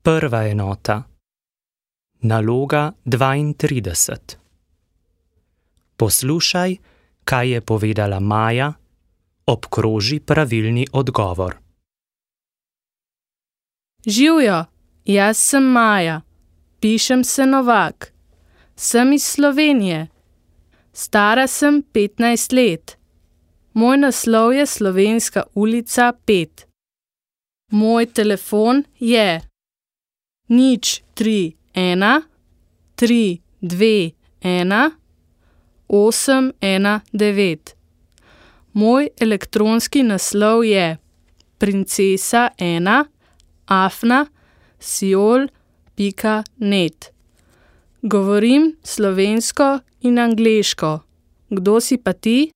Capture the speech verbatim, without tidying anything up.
Prva enota. Naloga dvaintrideset. Poslušaj, kaj je povedala Maja, obkroži pravilni odgovor. Živjo, jaz sem Maja, pišem se Novak, sem iz Slovenije, stara sem petnajst let. Moj naslov je Slovenska ulica pet. Moj telefon je nič tri ena tri dve ena osem ena devet. Moj elektronski naslov je princesa ena afna siol pika net. Govorim slovensko in angleško. Kdo si pa ti?